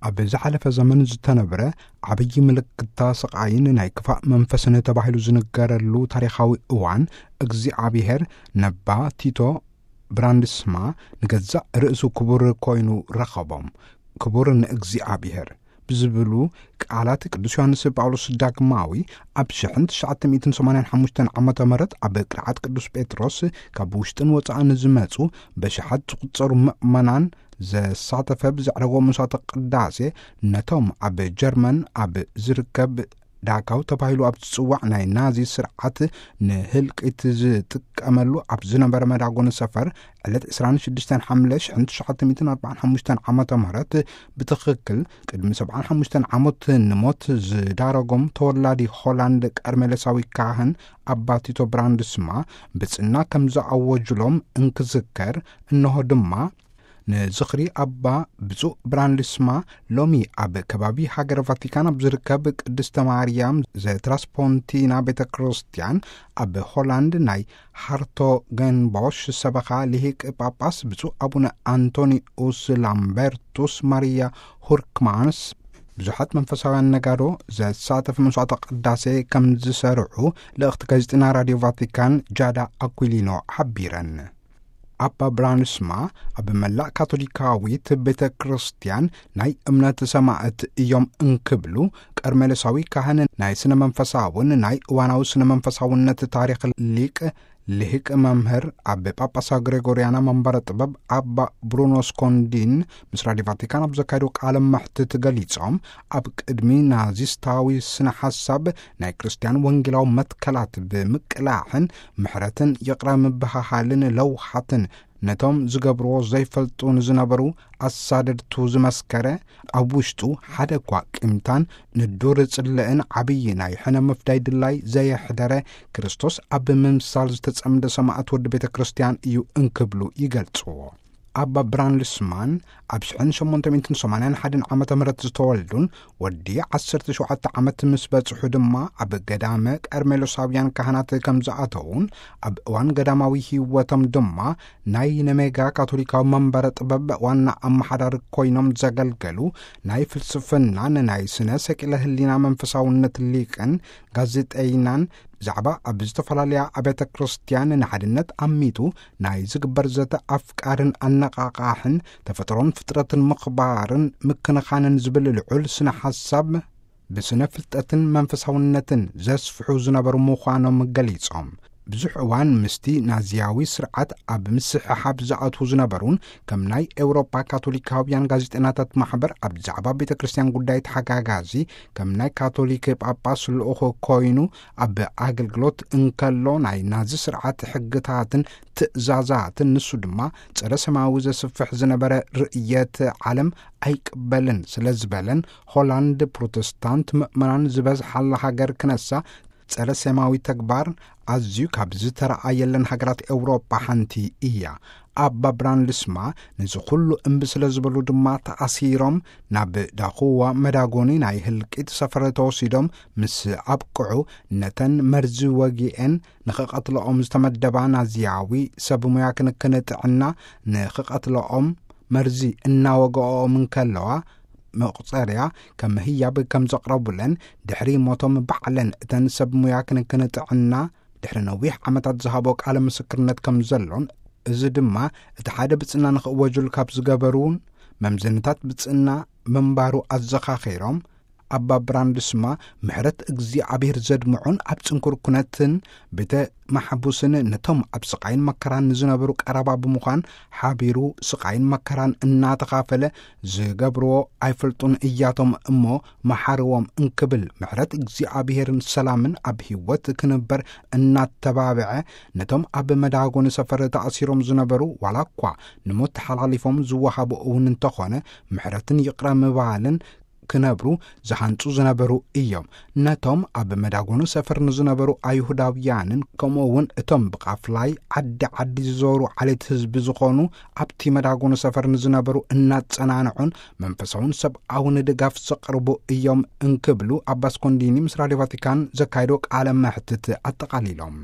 ኣብ ዝሓለፈ ዘመን ዝተነብረ ዓብዪ ምልክታ ስቓይን ናይ ክፋእ መንፈስን ተባሂሉ ዝንገረሉ ታሪኻዊ እዋን፣ እግዚኣብሔር ነባ ቲቶ ብራንድስማ ንገዛእ ርእሱ ክቡር ኮይኑ ረኸቦም። ክቡር ንእግዚኣብሔር ብዝብሉ ቃላት ቅዱስ ዮሃንስ ጳውሎስ ዳግማዊ ኣብ ሽሕን ትሽዓተ ሚእትን ሰማንያን ሓሙሽተን ዓመተ ምህረት ኣብ ቅርዓት ቅዱስ ጴጥሮስ ካብ ውሽጥን ወጻእን ዝመጹ በሽሓት ዝቑጸሩ ምእመናን ዘሳተፈ ብዘዕረጎ መስዋዕተ ቅዳሴ፣ ነቶም ኣብ ጀርመን ኣብ ዝርከብ ዳካው ተባሂሉ ኣብ ዝጽዋዕ ናይ ናዚ ስርዓት ንህልቂት ዝጥቀመሉ ኣብ ዝነበረ መዳጎኒ ሰፈር፣ ዕለት ዕስራን ሽዱሽተን ሓምለ ሽሕን ትሽዓተ ሚእትን ኣርባዓን ሓሙሽተን ዓመተ ምህረት ብትኽክል ቅድሚ ሰብዓን ሓሙሽተን ዓመት ንሞት ዝዳረጎም ተወላዲ ሆላንድ ቀርሜሎሳዊ ካህን ኣባ ቲቶ ብራንድስማ ብጽና ከም ዝኣወጅሎም እንክዝከር፣ እንሆ ድማ ንዝኽሪ ኣባ ብፁዕ ብራንድስማ ሎሚ ኣብ ከባቢ ሃገረ ቫቲካን ኣብ ዝርከብ ቅድስተ ማርያም ዘትራስፖንቲና ቤተ ክርስቲያን ኣብ ሆላንድ ናይ ሃርቶገንቦሽ ሰበኻ ልሂቅ ጳጳስ ብፁዕ ኣቡነ ኣንቶኒኡስ ላምበርቱስ ማርያ ሁርክማንስ ብዙሓት መንፈሳውያን ነጋዶ ዘሳተፈ መስዋዕተ ቅዳሴ ከም ዝሰርዑ ልእኽቲ ጋዜጠና ራድዮ ቫቲካን ጃዳ ኣኩሊኖ ሓቢረን። ኣባ ብራንስማ ኣብ መላእ ካቶሊካዊት ቤተ ክርስቲያን ናይ እምነት ሰማዕት እዮም እንክብሉ፣ ቀርሜሎሳዊ ካህን ናይ ስነ መንፈሳውን ናይ እዋናዊ ስነ መንፈሳውነት ታሪኽ ሊቅ ልሂቅ መምህር ኣብ ጳጳሳ ግሬጎርያና መንበረ ጥበብ ኣባ ብሩኖ ስኮንዲን ምስ ራድዮ ቫቲካን ኣብ ዘካየዱ ቃለ መሕትት ገሊጾም፣ ኣብ ቅድሚ ናዚስታዊ ስነ ሓሳብ ናይ ክርስትያን ወንጌላዊ መትከላት ብምቅላሕን ምሕረትን ይቕረ ምብሃሃልን ለውሃትን ነቶም ዝገብርዎ ዘይፈልጡ ንዝነበሩ ኣሳደድቱ ዝመስከረ፣ ኣብ ውሽጡ ሓደ እኳ ቂምታን ንዱር ጽልእን ዓብዪ ናይ ሕነ ምፍዳይ ድላይ ዘየሕደረ፣ ክርስቶስ ኣብ ምምሳል ዝተጸምደ ሰማዕት ወዲ ቤተ ክርስቲያን እዩ እንክብሉ ይገልጽዎ። ኣባ ብራንድስማን ኣብ ሽሕን ሸሞንተ ሚእትን ሰማንያን ሓደን ዓመተ ምህረት ዝተወልዱን ወዲ ዓሰርተ ሸውዓተ ዓመት ምስ በጽሑ ድማ ኣብ ገዳመ ቀርሜሎሳውያን ካህናት ከም ዝኣተዉን ኣብ እዋን ገዳማዊ ህይወቶም ድማ ናይ ነሜጋ ካቶሊካዊ መንበረ ጥበብ ዋና ኣመሓዳሪ ኮይኖም ዘገልገሉ ናይ ፍልስፍናን ናይ ስነ ሰቂለ ህሊና መንፈሳውነት ሊቅን ጋዜጠይናን ብዛዕባ ኣብ ዝተፈላለያ ኣብያተ ክርስቲያን ንሓድነት ኣሚቱ ናይ ዝግበር ዘተ ኣፍቃርን ኣነቓቓሕን ተፈጥሮን ፍጥረትን ምኽባርን ምክንኻንን ዝብል ልዑል ስነ ሓሳብ ብስነ ፍልጠትን መንፈሳውነትን ዘስፍሑ ዝነበሩ ምዃኖም ገሊጾም፣ ብዙሕ እዋን ምስቲ ናዚያዊ ስርዓት ኣብ ምስሕሓብ ዝኣትዉ ዝነበሩን ከም ናይ ኤውሮጳ ካቶሊካውያን ጋዜጠናታት ማሕበር ኣብ ዛዕባ ቤተ ክርስቲያን ጉዳይ ተሓጋጋዚ፣ ከም ናይ ካቶሊክ ጳጳስ ልኡኽ ኮይኑ ኣብ ኣገልግሎት እንከሎ ናይ ናዚ ስርዓት ሕግታትን ትእዛዛትን ንሱ ድማ ጸረ ሰማያዊ ዘስፍሕ ዝነበረ ርእየት ዓለም ኣይቅበልን ስለ ዝበለን፣ ሆላንድ ፕሮተስታንት ምእመናን ዝበዝሓላ ሃገር ክነሳ ጸረ ሰማያዊ ተግባር ኣዝዩ ካብ ዝተረኣየለን ሃገራት ኤውሮጳ ሓንቲ እያ። ኣባ ብራንድስማ ነዚ ኩሉ እምቢ ስለ ዝበሉ ድማ ተኣሲሮም ናብ ዳኹዋ መዳጎኒ ናይ ህልቂት ሰፈር ተወሲዶም ምስ ኣብቅዑ፣ ነተን መርዚ ወጊኤን ንኽቐትለኦም ዝተመደባ ናዚያዊ ሰብ ሙያ ክንክን ጥዕና ንኽቐትለኦም መርዚ እናወገኦም እንከለዋ፣ መቑጸርያ ከም ህያብ ከም ዘቕረቡለን፣ ድሕሪ ሞቶም ባዕለን እተን ሰብ ሙያ ክንክን ጥዕና ድሕሪ ነዊሕ ዓመታት ዝሃቦ ቃለ ምስክርነት ከም ዘሎን፣ እዚ ድማ እቲ ሓደ ብጽና ንኽእወጅሉ ካብ ዝገበሩን መምዘንታት ብጽና ምንባሩ ኣዘኻኺሮም፣ ኣባ ብራንድስማ ምሕረት እግዚኣብሔር ዘድምዑን ኣብ ጽንኩር ኩነትን ቤተ ማሕቡስን ነቶም ኣብ ስቓይን መከራን ንዝነበሩ ቀረባ ብምዃን ሓቢሩ ስቓይን መከራን እናተኻፈለ ዝገብርዎ ኣይፈልጡን እያቶም እሞ መሓርዎም እንክብል ምሕረት እግዚኣብሔርን ሰላምን ኣብ ህይወት ክንበር እናተባብዐ ነቶም ኣብ መዳጎኒ ሰፈር ተኣሲሮም ዝነበሩ ዋላ እኳ ንሞት ተሓላሊፎም ዝወሃቡ እውን እንተኾነ ምሕረትን ይቕረ ምባልን ክነብሩ ዝሃንጹ ዝነበሩ እዮም። ነቶም ኣብ መዳጎኑ ሰፈር ንዝነበሩ ኣይሁዳውያንን ከምኡ እውን እቶም ብቃፍላይ ዓዲ ዓዲ ዝዞሩ ዓሌት ህዝቢ ዝኾኑ ኣብቲ መዳጎኑ ሰፈር ንዝነበሩ እናጸናንዑን መንፈሳውን ሰብኣውን ድጋፍ ዘቕርቡ እዮም እንክብሉ ኣባ ስኮንዲኒ ምስ ራድዮ ቫቲካን ዘካየዶ ቃለ መሕትት ኣጠቓሊሎም።